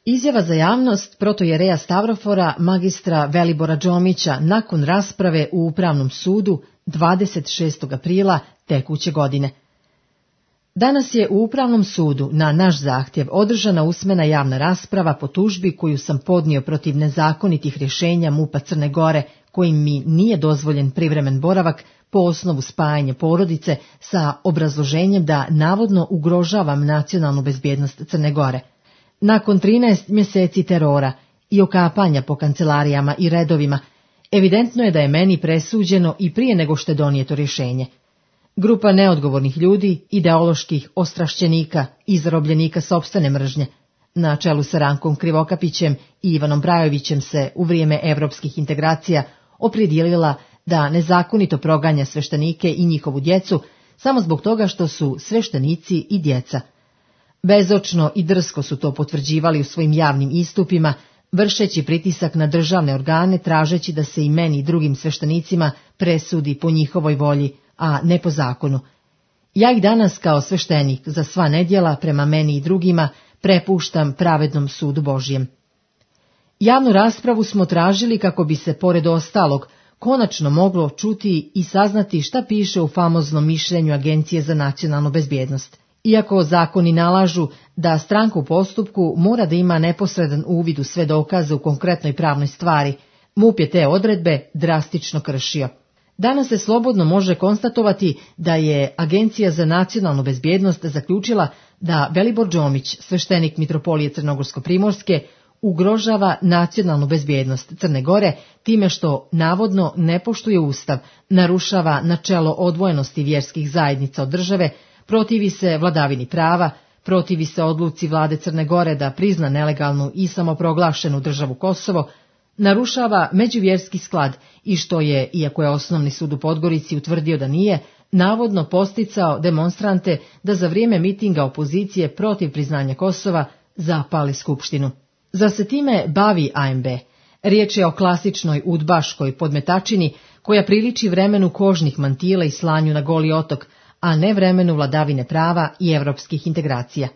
Izjava za javnost protojereja Stavrofora magistra Velibora Đomića nakon rasprave u Upravnom sudu 26. aprila tekuće godine. Danas je u Upravnom sudu na naš zahtjev održana usmena javna rasprava po tužbi koju sam podnio protiv nezakonitih rješenja MUP-a Crne Gore kojim mi nije dozvoljen privremen boravak po osnovu spajanja porodice sa obrazloženjem da navodno ugrožavam nacionalnu bezbjednost Crne Gore. Nakon 13 mjeseci terora i okapanja po kancelarijama i redovima, evidentno je da je meni presuđeno i prije nego što je donijeto rješenje. Grupa neodgovornih ljudi, ideoloških ostrašćenika i zarobljenika sopstvene mržnje, na čelu sa Rankom Krivokapićem i Ivanom Brajovićem se u vrijeme evropskih integracija opredijelila da nezakonito proganja sveštenike i njihovu djecu samo zbog toga što su sveštenici i djeca. Bezočno i drsko su to potvrđivali u svojim javnim istupima, vršeći pritisak na državne organe, tražeći da se i meni i drugim sveštenicima presudi po njihovoj volji, a ne po zakonu. Ja ih danas kao sveštenik za sva nedjela prema meni i drugima prepuštam pravednom sudu Božjem. Javnu raspravu smo tražili kako bi se, pored ostalog, konačno moglo čuti i saznati šta piše u famoznom mišljenju Agencije za nacionalnu bezbjednost. Iako zakoni nalažu da stranka u postupku mora da ima neposredan uvid u sve dokaze u konkretnoj pravnoj stvari, MUP je te odredbe drastično kršio. Danas se slobodno može konstatovati da je Agencija za nacionalnu bezbjednost zaključila da Velibor Đomić, sveštenik Mitropolije Crnogorsko-Primorske, ugrožava nacionalnu bezbjednost Crne Gore time što navodno ne poštuje Ustav, narušava načelo odvojenosti vjerskih zajednica od države, protivi se vladavini prava, protivi se odluci vlade Crne Gore da prizna nelegalnu i samoproglašenu državu Kosovo, narušava međuvjerski sklad i što je, iako je Osnovni sud u Podgorici utvrdio da nije, navodno posticao demonstrante da za vrijeme mitinga opozicije protiv priznanja Kosova zapali skupštinu. Zar se time bavi ANB? Riječ je o klasičnoj udbaškoj podmetačini koja priliči vremenu kožnih mantila i slanju na Goli otok, a ne vremenu vladavine prava i evropskih integracija.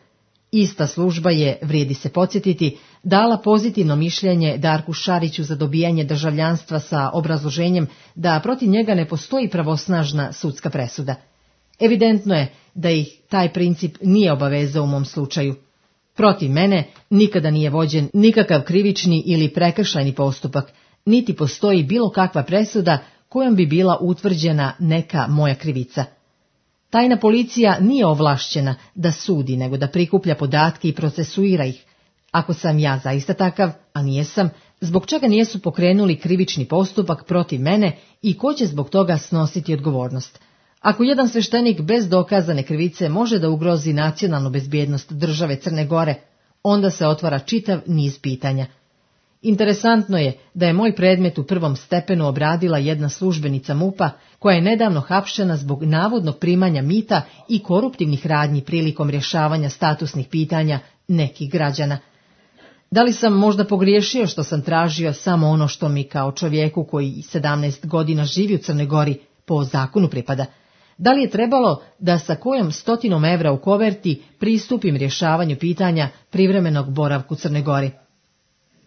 Ista služba je, vrijedi se podsjetiti, dala pozitivno mišljenje Darku Šariću za dobijanje državljanstva sa obrazloženjem da protiv njega ne postoji pravosnažna sudska presuda. Evidentno je da ih taj princip nije obavezao u mom slučaju. Protiv mene nikada nije vođen nikakav krivični ili prekršajni postupak, niti postoji bilo kakva presuda kojom bi bila utvrđena neka moja krivica. Tajna policija nije ovlašćena da sudi, nego da prikuplja podatke i procesuira ih. Ako sam ja zaista takav, a nijesam, zbog čega nijesu pokrenuli krivični postupak protiv mene i ko će zbog toga snositi odgovornost? Ako jedan sveštenik bez dokazane krivice može da ugrozi nacionalnu bezbjednost države Crne Gore, onda se otvara čitav niz pitanja. Interesantno je da je moj predmet u prvom stepenu obradila jedna službenica MUP-a koja je nedavno hapšena zbog navodnog primanja mita i koruptivnih radnji prilikom rješavanja statusnih pitanja nekih građana. Da li sam možda pogriješio što sam tražio samo ono što mi kao čovjeku koji 17 godina živi u Crnoj Gori po zakonu pripada? Da li je trebalo da sa kojom 100 evra u koverti pristupim rješavanju pitanja privremenog boravka u Crnoj Gori?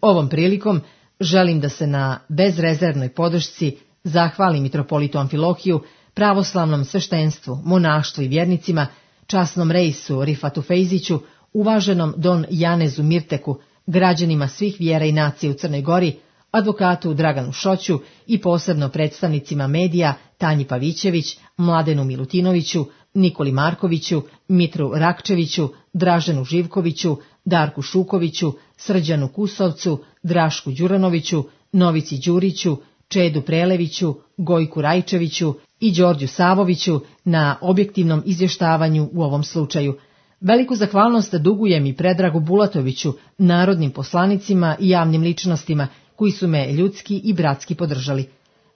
Ovom prilikom želim da se na bezrezervnoj podršci zahvalim mitropolitu Amfilohiju, pravoslavnom sveštenstvu, monaštvu i vjernicima, časnom reisu Rifatu Fejziću, uvaženom Don Janezu Mirteku, građanima svih vjera i nacije u Crnoj Gori, advokatu Draganu Šoću i posebno predstavnicima medija Tanji Pavićević, Mladenu Milutinoviću, Nikoli Markoviću, Mitru Rakčeviću, Draženu Živkoviću, Darku Šukoviću, Srđanu Kusovcu, Drašku Đuranoviću, Novici Đuriću, Čedu Preleviću, Gojku Rajčeviću i Đorđu Savoviću na objektivnom izvještavanju u ovom slučaju. Veliku zahvalnost dugujem i Predragu Bulatoviću, narodnim poslanicima i javnim ličnostima koji su me ljudski i bratski podržali.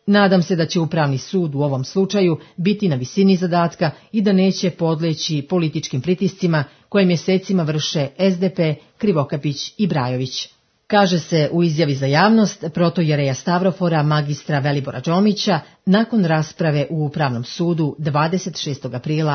Nadam se da će Upravni sud u ovom slučaju biti na visini zadatka i da neće podleći političkim pritiscima koje mjesecima vrše SDP, Krivokapić i Brajović. Kaže se u izjavi za javnost protojereja Stavrofora magistra Velibora Đomića nakon rasprave u Upravnom sudu 26. aprila